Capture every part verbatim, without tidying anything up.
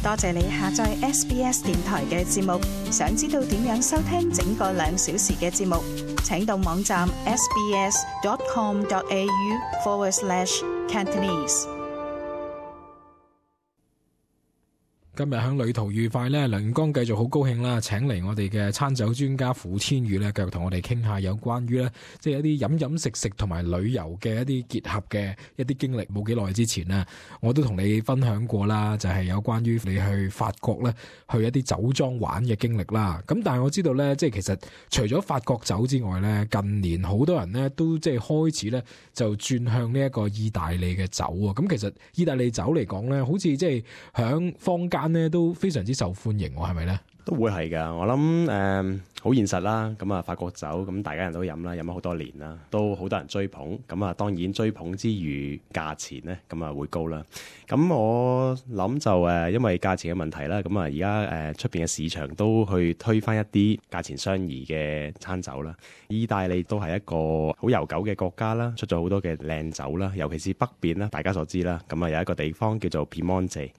多謝你下載 S B S 電台嘅節目。想知道點樣收聽整個兩小時嘅節目，請到網站 sbs.com.au forward slash Cantonese。今日響旅途愉快咧，梁元光繼續好高興啦，請嚟我哋嘅餐酒專家傅千宇咧，繼續同我哋傾下有關於咧，即係一啲飲飲食食同埋旅遊嘅一啲結合嘅一啲經歷。冇幾耐之前呢，我都同你分享過啦，就係有關於你去法國咧，去一啲酒莊玩嘅經歷啦。咁但係我知道咧，即係其實除咗法國酒之外咧，近年好多人咧都即係開始咧就轉向呢一個意大利嘅酒啊。咁其實意大利酒嚟講咧，好似即係響坊間咧都非常之受歡迎，係咪咧？都會係㗎，我諗誒好現實啦。咁啊，法國酒咁大家人都飲啦，飲咗好多年啦，都好多人追捧。咁啊，當然追捧之餘，價錢咧咁啊會高啦。咁我諗就誒，因為價錢嘅問題啦，咁啊而家誒出邊嘅市場都去推返一啲價錢相宜嘅餐酒啦。意大利都係一個好悠久嘅國家啦，出咗好多嘅靚酒啦，尤其是北邊啦，大家所知啦。咁啊有一個地方叫做 Piemonte。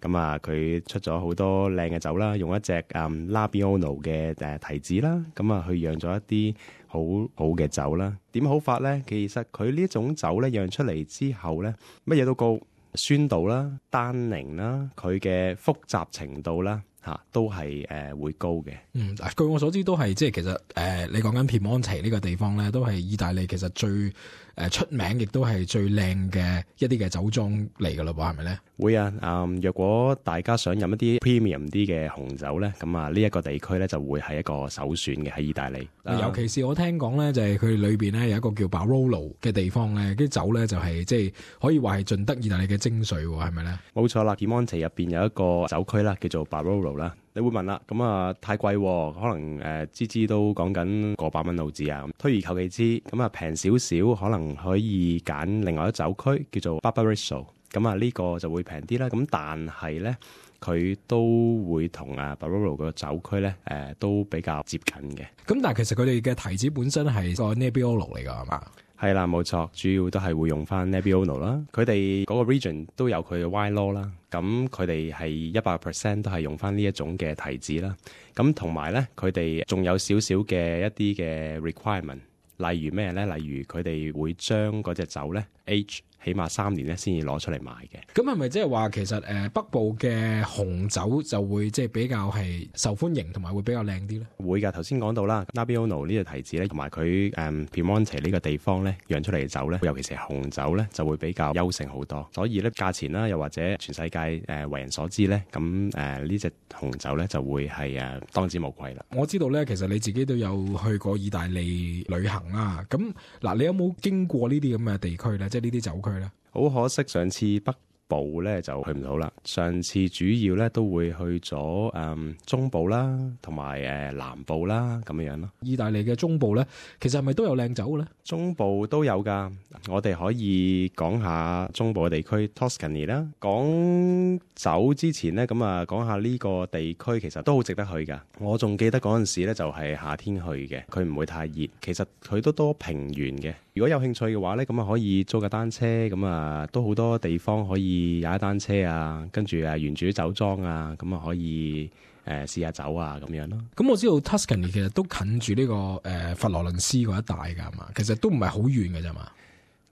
咁啊，佢出咗好多靚嘅酒啦，用一隻嗯 Nebbiolo 嘅誒提子啦，咁啊去釀咗一啲好好嘅酒啦。點好法咧？其實佢呢一種酒咧釀出嚟之後咧，乜嘢都高，酸度啦、單寧啦、佢嘅複雜程度啦，嚇、啊、都係誒、呃、會高嘅。嗯，據我所知都係即係其實誒、呃，你講緊皮蒙提呢個地方咧，都係意大利其實最誒、呃、出名，亦都係最靚嘅一啲嘅酒莊嚟㗎咯噃，係咪咧？會啊，嗯，若果大家想飲一啲 premium 啲嘅紅酒咧，咁啊呢一個地區咧就會係一個首選嘅喺意大利。尤其是我聽講咧，就係佢裏邊咧有一個叫 Barolo 嘅地方咧，啲酒咧就係即係可以話係盡得意大利嘅精髓，係咪咧？冇錯啦 Piemonte 入邊有一個酒區啦，叫做 Barolo 啦。你會問啦，咁啊太貴，可能誒支支都講緊過百蚊澳紙啊。推而求其次，咁啊平少少，可能可以揀另外一酒區叫做 Barbarigo。咁啊呢個就會平啲啦，咁但係咧佢都會同啊 Barolo 個酒區咧誒、呃、都比較接近嘅。咁但係其實佢哋嘅提子本身係個 Nebbiolo 嚟㗎係嘛？係啦，冇錯，主要都係會用翻 Nebbiolo 啦。佢哋嗰個 region 都有佢嘅 wine law 啦，咁佢哋係一百 percent 都係用翻呢一種嘅提子啦。咁同埋咧，佢哋仲有少少嘅一啲嘅 requirement，例如咩咧？例如佢哋會將嗰隻酒咧 age起碼三年咧先至攞出嚟賣嘅。咁係咪即係話其實誒、呃、北部嘅紅酒就會即係比較係受歡迎同埋會比較靚啲咧？會㗎，頭先講到啦 Nebbiolo 呢隻提子咧，同埋佢誒 Piemonte 呢個地方咧釀出嚟嘅酒咧，尤其是係紅酒咧，就會比較優勝好多。所以咧價錢啦，又或者全世界誒、呃、為人所知咧，咁誒呢隻紅酒咧就會係誒、呃、當之無愧啦。我知道咧，其實你自己都有去過意大利旅行啦。咁嗱，你有冇經過呢啲咁嘅地區咧？即係呢啲酒區咧？好可惜，上次北部咧就去唔到啦。上次主要咧都會去咗誒、嗯、中部啦，同埋誒南部啦咁樣樣咯。意大利嘅中部咧，其實係咪都有靚酒嘅咧？中部都有㗎。我哋可以講下中部嘅地區 Tuscany 啦。講酒之前咧，咁啊講下呢個地區其實都好值得去㗎。我仲記得嗰陣時咧就係夏天去嘅，佢唔會太熱。其實佢都多平原嘅。如果有興趣嘅話咧，咁啊可以租架單車，咁啊都好多地方可以踩單車啊，跟住啊沿住啲酒莊啊，咁啊可以誒試下酒啊咁樣咯。咁我知道 Tuscany 其實都近住呢、這個誒、呃、佛羅倫斯嗰一帶㗎嘛，其實都唔係好遠嘅啫嘛。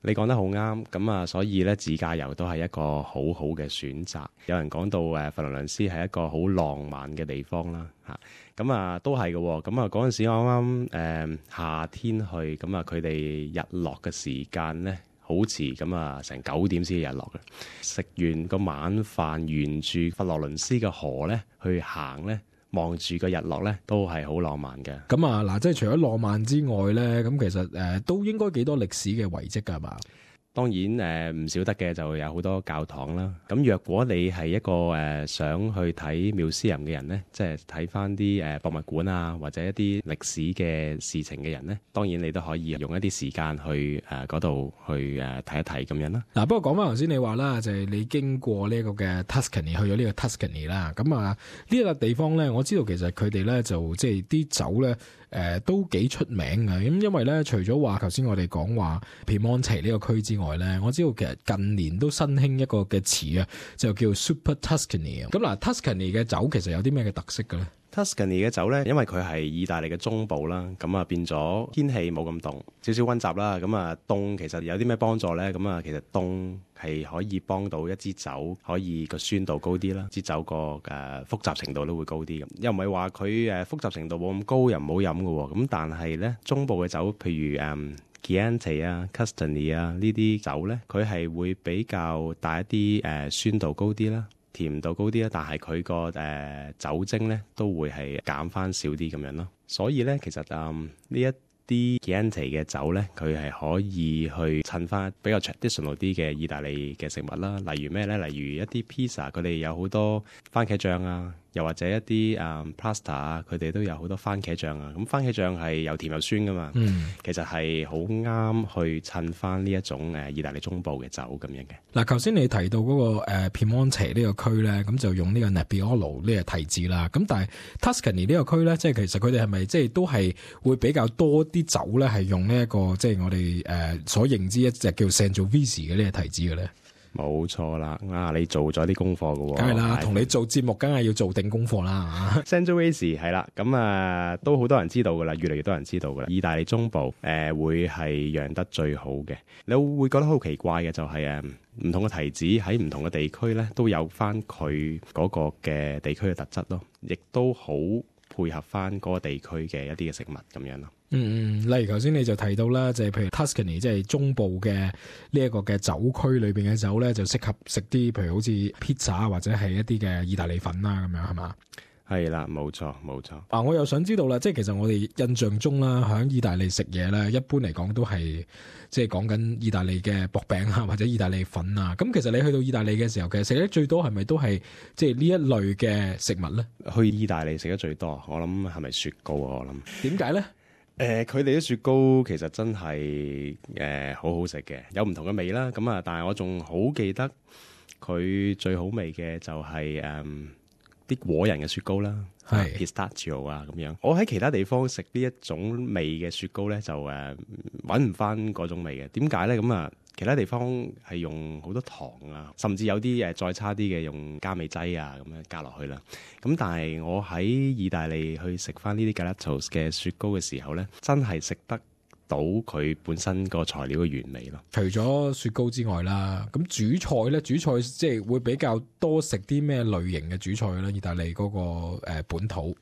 你講得好啱，咁啊，所以咧自駕遊都係一個好好嘅選擇。有人講到誒佛羅倫斯係一個好浪漫嘅地方啦，嚇咁啊都係嘅。咁啊嗰陣時我啱啱誒夏天去，咁啊佢哋日落嘅時間咧好遲，咁啊成九點先至日落嘅。食完個晚飯，沿住佛羅倫斯嘅河咧去行咧，望住個日落咧，都係好浪漫嘅。咁啊，嗱，即係除咗浪漫之外咧，咁其實誒、呃、都應該幾多歷史嘅遺跡㗎係嘛？當然誒唔少得嘅就有好多教堂啦。咁若果你係一個誒、呃、想去睇 museum 嘅人咧，即係睇翻啲誒博物館啊，或者一啲歷史嘅事情嘅人咧，當然你都可以用一啲時間去誒嗰度去誒睇一睇咁樣啦。嗱，不過講翻頭先你話啦，就係、是、你經過呢一個嘅 Tuscany 去咗呢個 Tuscany 啦。咁啊呢個地方咧，我知道其實佢哋咧就即係啲酒咧呃、都幾出名嘅。咁因為咧，除咗話頭先我哋講話 Piemonte 呢個區之外咧，我知道其實近年都新興一個嘅詞啊，就叫 Super Tuscany。咁嗱 Tuscany 嘅酒其實有啲咩嘅特色嘅咧？Tuscany 嘅酒咧，因為佢係意大利嘅中部啦，咁啊變咗天氣冇咁凍，少少溫習啦。咁啊凍其實有啲咩幫助咧？咁啊其實凍係可以幫到一支酒可以個酸度高啲啦，支酒個誒複雜程度都會高啲咁。又唔係話佢誒複雜程度冇咁高又唔好飲嘅喎。咁但係咧中部嘅酒，譬如誒 Chianti 啊、Castagni 啊呢啲酒咧，佢係會比較帶一啲誒酸度高啲啦。甜度高啲啦，但係佢個誒酒精咧都會係減翻少啲咁樣咯。所以咧，其實誒呢、嗯、一啲 Chianti 嘅酒咧，佢係可以去襯翻比較 traditional 啲嘅意大利嘅食物啦。例如咩咧？例如一啲 pizza，佢哋有好多番茄醬啊，又或者一啲誒、嗯、pasta 啊，佢哋都有好多番茄醬啊。咁番茄醬係又甜又酸噶嘛，嗯、其實係好啱去襯翻呢一種誒意大利中部嘅酒咁樣嘅。嗱，頭先你提到嗰、那個誒、呃、Piemonte 呢個區咧，咁就用呢個 Nebbiolo 呢個提子啦。咁但係 Tuscany 呢個區咧，即係其實佢哋係咪即係都係會比較多啲酒咧，係用呢、這、一個即係我哋誒、呃、所認知一隻叫 Sangiovese 嘅呢個提子嘅咧？冇錯啦，啊你做咗啲功課嘅喎，梗係啦，同你做節目梗係要做定功課啦。Sangiovese 係啦，咁啊都好多人知道噶啦，越嚟越多人知道噶啦。意大利中部誒、呃、會係釀得最好嘅，你會覺得好奇怪嘅就係誒唔同嘅提子喺唔同嘅地區咧都有翻佢嗰個嘅地區嘅特質咯，亦都好配合翻嗰個地區嘅一啲嘅食物咁樣咯。嗯嗯，例如頭先你就提到啦，就係、是、譬如 Tuscany 即係中部嘅呢一個嘅酒區裏邊嘅酒咧，就適合食啲譬如好似 pizza 或者係一啲嘅意大利粉啦，咁樣係嘛？係啦，冇錯冇錯。啊，我又想知道啦，即係其實我哋印象中啦，喺意大利食嘢咧，一般嚟講都係即係講緊意大利嘅薄餅啊，或者意大利粉啊。咁其實你去到意大利嘅時候，其實食得最多係咪都係即係呢一類嘅食物咧？去意大利食得最多，我諗係咪雪糕啊？我諗點解咧？誒，佢哋啲雪糕其實真係誒、呃、好好食嘅，有唔同嘅味啦。咁啊，但係我仲好記得佢最好味嘅就係誒啲果仁嘅雪糕啦，係 pistachio 啊咁樣。我喺其他地方食呢一種味嘅雪糕咧，就誒揾唔翻嗰種味嘅。點解咧？咁啊，其他地方係用好多糖啊，甚至有啲誒再差啲嘅用加味劑啊咁樣加落去啦。咁但係我喺意大利去食翻呢啲 gelatos 嘅雪糕嘅時候咧，真係食得到佢本身個材料嘅原味咯。除咗雪糕之外啦，咁主菜咧，主菜即係會比較多食啲咩類型嘅主菜咧？意大利嗰個誒本土，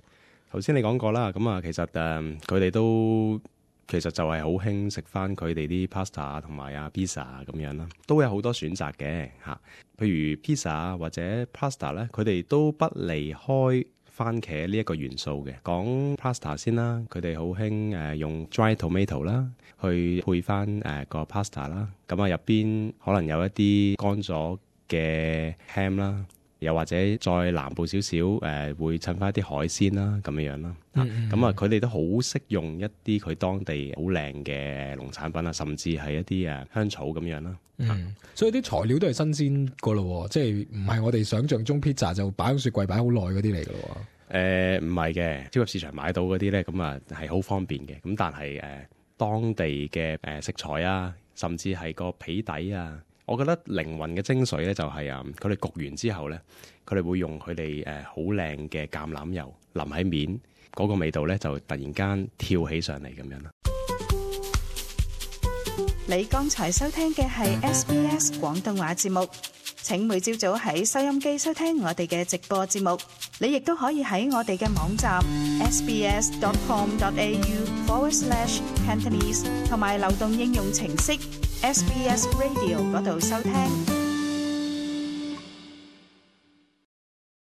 頭先你講過啦，咁啊其實誒佢哋都其實就係好興食翻佢哋啲 pasta 同埋啊 pizza 咁樣啦，都有好多選擇嘅嚇。譬如 pizza 或者 pasta 咧，佢哋都不離開番茄呢一個元素嘅。講 pasta 先啦，佢哋好興誒用 dry tomato 啦，去配翻誒個 pasta 啦。咁啊入邊可能有一啲乾咗嘅 ham 啦，又或者再南部少少誒會襯翻一啲海鮮啦咁樣樣啦。咁、嗯嗯、啊佢哋都好識用一啲佢當地好靚嘅農產品啊，甚至係一啲誒香草咁樣啦。嗯，啊、所以啲材料都係新鮮個咯，即係唔係我哋想象中 pizza 就擺喺雪櫃擺好耐嗰啲嚟噶咯。誒唔係嘅，超級市場買到嗰啲咧，咁啊係好方便嘅。咁但係誒、呃、當地嘅誒、呃、食材啊，甚至係個皮底啊，我覺得靈魂嘅精髓咧就係、是、啊，佢哋焗完之後咧，佢哋會用佢哋誒好靚嘅橄欖油淋喺面，嗰、那個味道咧就突然間跳起上嚟咁樣啦。你剛才收聽嘅係 S B S 廣東話節目。請每朝早喺收音機收聽我哋嘅直播節目，你亦都可以喺我哋嘅網站 sbs.com.au forward slash Cantonese 同埋流動應用程式 S B S Radio 嗰度收聽。